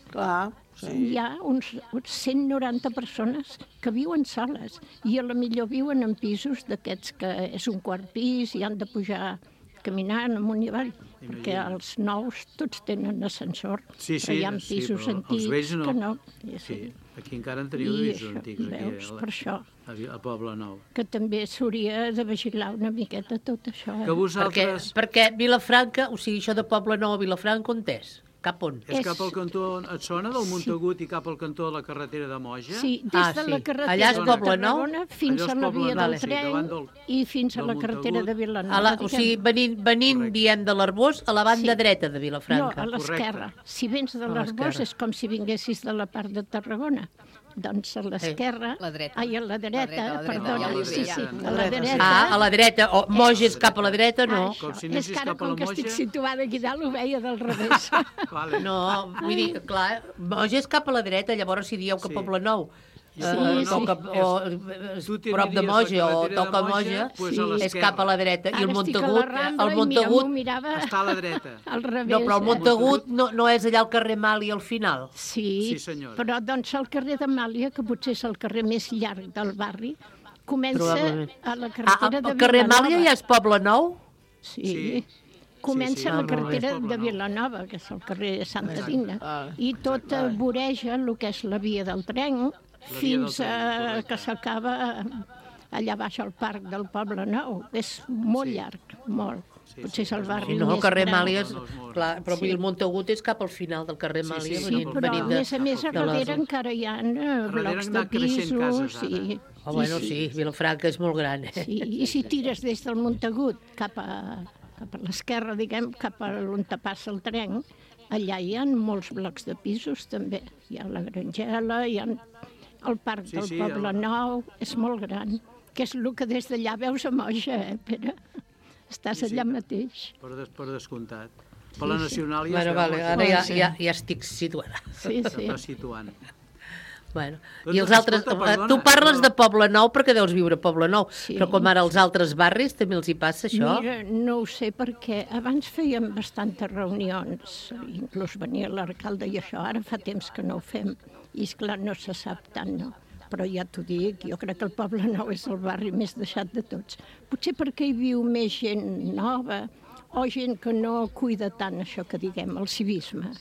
Hi ha uns 190 persones que viuen soles i a la millor viuen en pisos d'aquests que és un quart pis i han de pujar caminant amunt i avall, perquè els nous tots tenen ascensor, però hi ha pisos antics que no. Aquí encara en teniu de pisos antics. Veus, per això. Al Poble Nou. Que també s'hauria de vigilar una miqueta tot això. Que vosaltres... Perquè Vilafranca, o sigui, això de Poble Nou a Vilafranca, on és? Cap on? És cap al cantó, et sona del Montagut i cap al cantó de la carretera de Moja? Sí, des de la carretera de Tarragona fins a la via del tren i fins a la carretera de Vilanova. O sigui, venint, diem, de l'Arbós a la banda dreta de Vilafranca. No, a l'esquerra. Si vens de l'Arbós és com si vinguessis de la part de Tarragona. Doncs a l'esquerra... Ai, a la dreta, perdona. Sí, a la dreta. A la dreta. Moja és cap a la dreta, no. És que ara, com que estic situada aquí dalt, ho veia del revés. No, vull dir, clar, Moja és cap a la dreta, llavors si dieu que Poble Nou prop de Moja o toca Moja, és cap a la dreta. I el Montagut està a la dreta. No, però el Montagut no és allà al carrer Màlia al final. Sí, però doncs el carrer de Màlia, que potser és el carrer més llarg del barri, comença a la carretera de Vilanova. El carrer Màlia ja és Poble Nou? Sí. Comença la carretera de Vilanova, que és el carrer Santa Digna, i tot voreja el que és la via del tren, fins que s'acaba allà baix al parc del Poble Nou. És molt llarg, molt. Potser és el barri més gran. No, el carrer Màlia és... Clar, però el Montagut és cap al final del carrer Màlia. Sí, però a més a darrere encara hi ha blocs de pisos. Bueno, sí, Vilafranca és molt gran. I si tires des del Montagut cap a l'esquerra, diguem, cap a on passa el tren, allà hi ha molts blocs de pisos també. Hi ha la Grangela, hi ha el parc del Poble Nou, és molt gran, que és el que des d'allà veus a Moja, Pere? Estàs allà mateix. Per descomptat. Per la Nacional ja es veu. Ara ja estic situada. Sí. S'està situant. Bueno, i els altres... Tu parles de Poble Nou perquè deus viure a Poble Nou, però com ara els altres barris també els hi passa això? Mira, no ho sé perquè abans fèiem bastantes reunions, inclús venia l'alcalde i això, ara fa temps que no ho fem, i esclar no se sap tant, no? Però ja t'ho dic, jo crec que el Poble Nou és el barri més deixat de tots. Potser perquè hi viu més gent nova o gent que no cuida tant això que diguem, el civisme,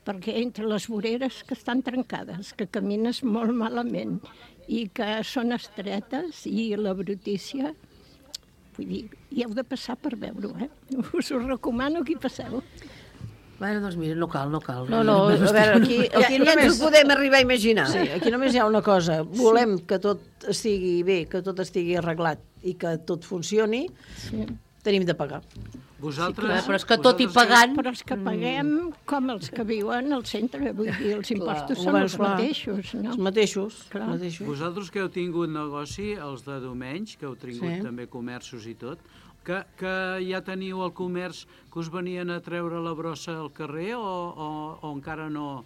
perquè entre les voreres que estan trencades, que camines molt malament i que són estretes i la brutícia, vull dir, hi heu de passar per veure-ho, Us ho recomano que hi passeu. Bueno, doncs mira, no cal. No, a veure, aquí ja ens ho podem arribar a imaginar. Sí, aquí només hi ha una cosa. Volem que tot estigui bé, que tot estigui arreglat i que tot funcioni, tenim de pagar. Vosaltres... Però és que tot i pagant... Però és que paguem com els que viuen al centre, vull dir, els impostos són els mateixos, no? Els mateixos. Vosaltres que heu tingut negoci, els de Domenys, que heu tingut també comerços i tot, que ja teniu el comerç que us venien a treure la brossa al carrer o encara no?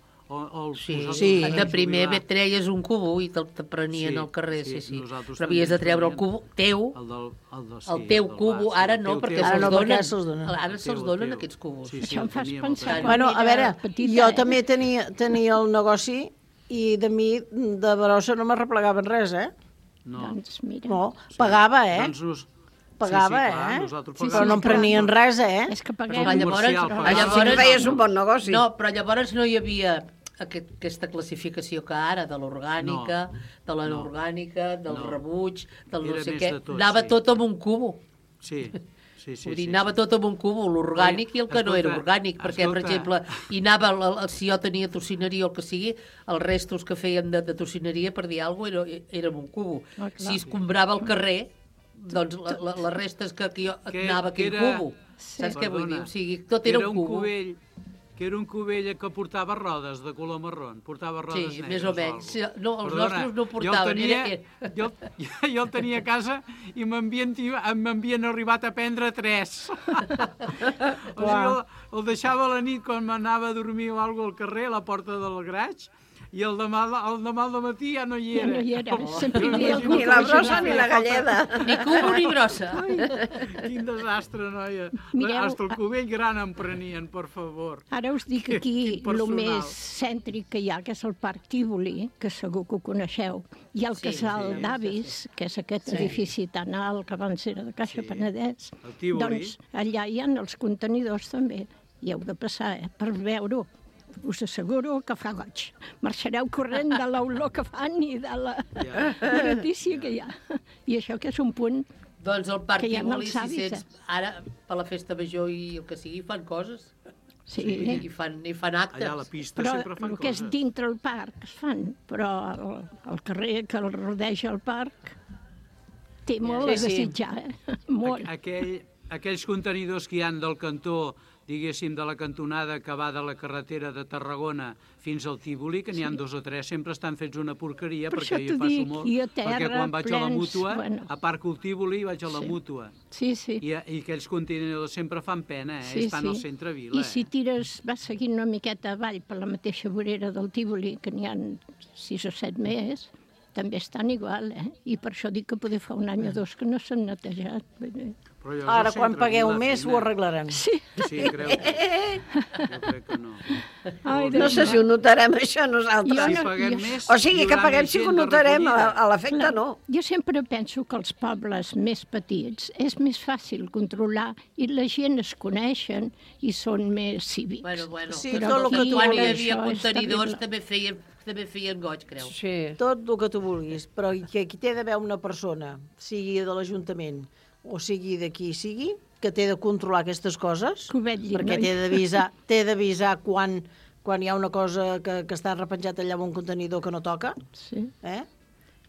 Sí, de primer treies un cubo i te'l prenien al carrer, sí. Però havies de treure el cubo teu, el teu cubo, ara no, perquè se'ls donen. Ara se'ls donen aquests cubos. Això em fas pensar. Bueno, a veure, jo també tenia el negoci i de mi de brossa no m'arreplegaven res, Doncs mira. No, pagava, Pagava, Sí, però no em prenien res, És que paguem. Llavors feies un bon negoci. No, però llavors no hi havia aquesta classificació que ara, de l'orgànica, de l'anorgànica, del rebuig, del no sé què. Anava tot amb un cubo. Sí. Vull dir, anava tot amb un cubo, l'orgànic i el que no era orgànic, perquè, per exemple, si jo tenia tocineria o el que sigui, els restos que fèiem de tocineria, per dir alguna cosa, era amb un cubo. Si es comprava al carrer, doncs les restes que jo anava aquell cubo. Saps què vull dir? O sigui, tot era un cubo. que era un cubell que portava rodes de color marrón, portava rodes negres. Sí, més o menys. No, els Perdona, nostres no portaven. Jo el tenia a casa i m'havien arribat a prendre 3. O sigui, el deixava a la nit quan m'anava a dormir o alguna cosa al carrer, a la porta del garatge, i el demà al matí ja no hi era. Ja no hi era. Sempre hi havia ni la brossa ni la galleda. Ni cubo ni brossa. Quin desastre, noia. Mireu, Hasta el cubell gran em prenien, per favor. Ara us dic aquí el més cèntric que hi ha, que és el Parc Tívoli, que segur que ho coneixeu. Hi ha el Casal d'Avis, que és aquest edifici tan alt que abans era de Caixa Penedès. El Tívoli. Doncs allà hi ha els contenidors també. Hi heu de passar, per veure-ho. Us asseguro que fa goig. Marxareu corrent de l'olor que fan i de la gratícia que hi ha. I això que és un punt doncs el Parc que hi ha Tívoli, els avis. Ara, per la festa major i el que sigui, fan coses. Sí. I fan actes. Allà a la pista però sempre fan el que és coses. dintre el parc es fan, però el carrer que el rodeja el parc té molt a desitjar, molt. Aquells contenidors que hi han del cantó, diguéssim, de la cantonada que va de la carretera de Tarragona fins al Tívoli, que n'hi ha 2 o 3, sempre estan fets una porqueria, perquè jo passo molt. Perquè quan vaig a la Mútua, a part que el Tívoli, vaig a la Mútua. Sí. I aquells contenidors sempre fan pena, estan al centre vila. I si tires, vas seguint una miqueta avall per la mateixa vorera del Tívoli, que n'hi ha 6 o 7 més, també estan igual, I per això dic que poder fa un any o 2 que no s'han netejat. Ara, quan pagueu més, ho arreglarem. Sí, creu. Jo crec que no. No sé si ho notarem, això, nosaltres. Si paguem més, o sigui, que paguem si ho notarem, a l'efecte no. Jo sempre penso que els pobles més petits és més fàcil controlar i la gent es coneixen i són més cívics. Bueno. Sí, tot el que tu quan hi vulguis. havia contenidors també feien goig, creu. Sí. Tot el que tu vulguis, però que aquí té d'haver una persona, sigui de l'Ajuntament o sigui de qui sigui, que té de controlar aquestes coses, perquè té d'avisar quan hi ha una cosa que està repenjat allà en un contenidor que no toca,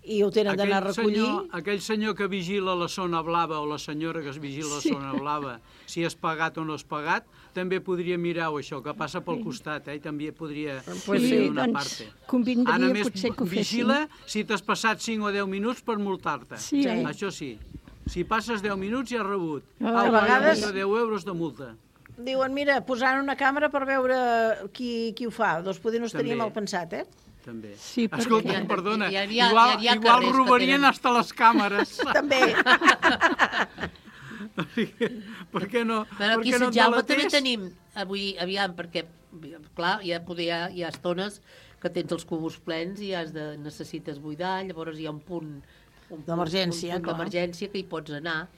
i ho tenen d'anar a recollir. Aquell senyor que vigila la zona blava o la senyora que es vigila la zona blava, si és pagat o no és pagat, també podria mirar això, que passa pel costat, i també podria fer una part. Convindria més potser que ho fessin. vigila si t'has passat 5 o 10 minuts per multar-te. Això sí. Si passes 10 minuts ja has rebut. A vegades 10 euros de multa. Diuen, mira, posant una càmera per veure qui ho fa. Doncs potser no estaria mal pensat, També. Sí, escolta, perdona, igual robarien hasta les càmeres. També. Per què no? Però aquí a Sant Jaume també tenim, avui, aviam, perquè, clar, hi ha estones que tens els cubos plens i necessites buidar, llavors hi ha un punt d'emergència, que hi pots anar.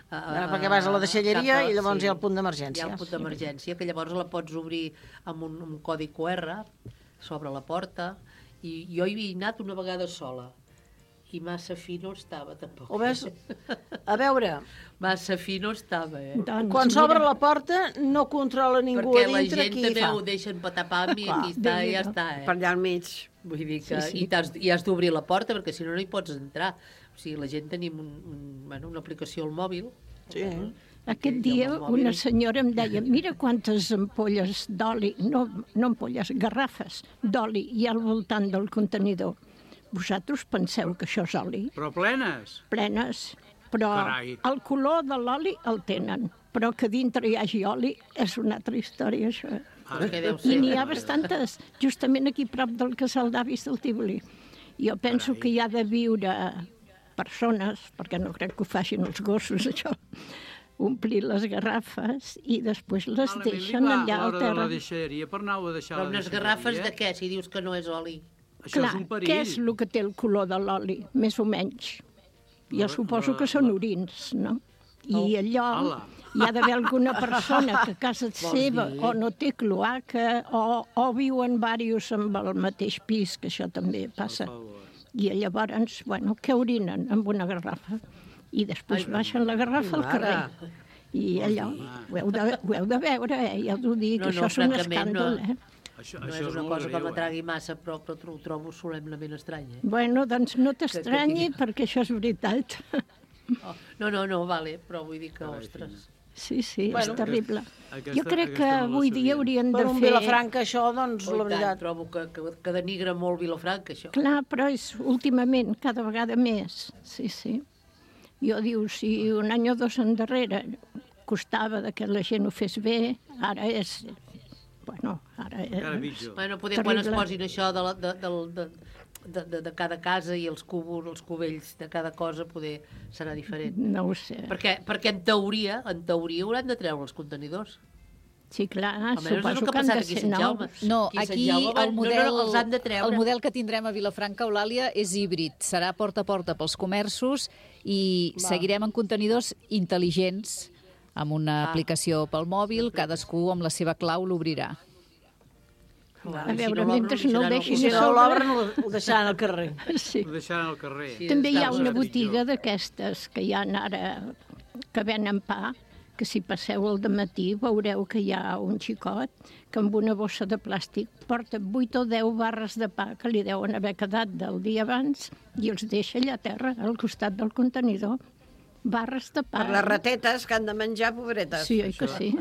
Perquè vas a la deixalleria i llavors hi ha el punt d'emergència. Hi ha el punt d'emergència, que llavors la pots obrir amb un codi QR, s'obre la porta, i jo hi havia anat una vegada sola, i massa fi no estava, tampoc. Ho ves? A veure... Massa fi no estava, Quan s'obre la porta no controla ningú a dintre qui hi fa. Perquè la gent també ho deixen patapam i aquí està, i ja està, Per allà al mig. Vull dir que... I has d'obrir la porta, perquè si no hi pots entrar. O sigui, la gent tenim una aplicació al mòbil. Sí. Aquest dia una senyora em deia, mira quantes ampolles d'oli, no ampolles, garrafes d'oli hi ha al voltant del contenidor. Vosaltres penseu que això és oli? Però plenes? Plenes, però el color de l'oli el tenen, però que dintre hi hagi oli és una altra història, això. I n'hi ha bastantes, justament aquí prop del Casal d'Avis del Tívoli. Jo penso que hi ha de viure persones, perquè no crec que ho facin els gossos, això, omplir les garrafes i després les deixen allà al terra. La deixalleria per anar-ho a deixar a la deixalleria. Però unes garrafes de què, si dius que no és oli? Això és un perill. Què és el que té el color de l'oli, més o menys? Jo suposo que són orins, no? I allò hi ha d'haver alguna persona que a casa seva o no té cloaca o viuen diversos amb el mateix pis, que això també passa. I llavors, bueno, què orinen amb una garrafa? I després baixen la garrafa al carrer. I allò, ho heu de veure, ja t'ho dic, això és un escàndol, No és una cosa que m'atragui massa, però ho trobo solemnement estrany. Bueno, doncs no t'estranyi, perquè això és veritat. No, vale, però vull dir que, ostres... Sí, és Bueno, terrible. Jo crec que avui dia haurien de Per fer... un Vilafranca, això, doncs, Oh, la veritat... Trobo que denigra molt Vilafranca, això. Clar, però és últimament, cada vegada més. Sí. Jo diu, si un any o dos endarrere costava que la gent ho fes bé, ara és... Bueno, ara és Bueno, poder quan es posin això de cada casa i els cubells de cada cosa, poder serà diferent. No ho sé. Perquè en teoria hauran de treure els contenidors. Sí, clar, suposo que han de ser nous. No, aquí el model model que tindrem a Vilafranca, Eulàlia, és híbrid. Serà porta a porta pels comerços i seguirem en contenidors intel·ligents, amb una aplicació pel mòbil, cadascú amb la seva clau l'obrirà. A veure, mentre no el deixin si no l'obren, ho deixaran al carrer. Sí. Ho deixaran al carrer. També hi ha una botiga d'aquestes que hi ha ara, que venen pa, que si passeu al dematí veureu que hi ha un xicot que amb una bossa de plàstic porta 8 o 10 barres de pa que li deuen haver quedat del dia abans i els deixa allà a terra, al costat del contenidor. Barres de pa. Per les ratetes que han de menjar, pobretes. Sí, oi que sí.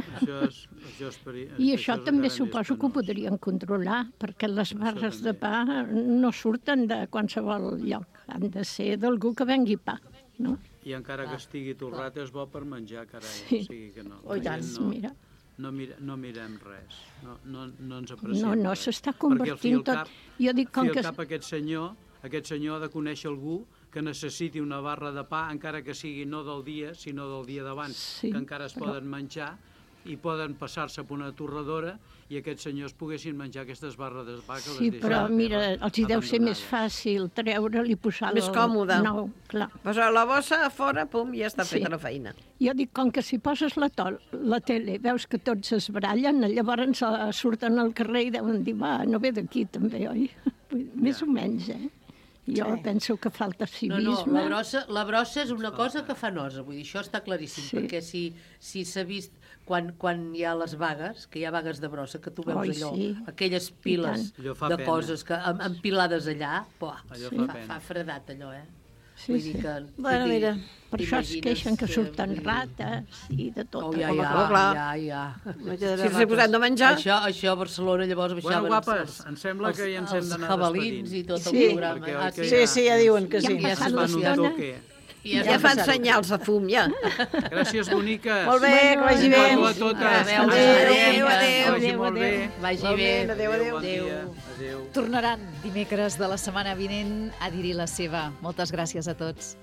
I això també suposo que ho podrien controlar, perquè les barres de pa no surten de qualsevol lloc. Han de ser d'algú que vengui pa, no? I encara que estigui torrat és bo per menjar, carai. Sí. O sigui que no. Oh, i tant, mira. No mirem res. No ens apreciem. No, s'està convertint tot. Jo dic com que... Aquest senyor ha de conèixer algú que necessiti una barra de pa, encara que sigui no del dia, sinó del dia d'abans, que encara es poden menjar i poden passar-se per una torradora i aquests senyors poguessin menjar aquestes barres de pa que les deixen. Sí, però mira, els hi deu ser més fàcil treure-li i posar-lo... Més còmode. Nou, clar. Posar la bossa a fora, pum, ja està feta la feina. Jo dic, com que si poses la tele, veus que tots es barallen, llavors surten al carrer i deuen dir, va, no ve d'aquí també, oi? Més o menys, Jo penso que falta civisme. No, la brossa és una cosa que fa nosa, vull dir, això està claríssim, perquè si s'ha vist quan hi ha les vagues, que hi ha vagues de brossa, que tu veus allò, aquelles piles de coses empilades allà, fa fredat allò, Sí. Bueno, mira, per això es queixen que surten rates i de tot. Ja. Si s'ha posat de menjar... Això a Barcelona llavors baixaven... Bueno, guapes, em sembla que ja ens hem d'anar despedint. Els jabalins i tot el programa. Sí, ja diuen que sí. Ja se'n van un toque. Ja fan senyals de fum, ja. Gràcies, boniques. Molt bé, que vagi bé. Adéu a totes. Adéu. Vagi molt bé. Vagi bé. Adéu. Tornaran dimecres de la setmana vinent a dir-hi la seva. Moltes gràcies a tots.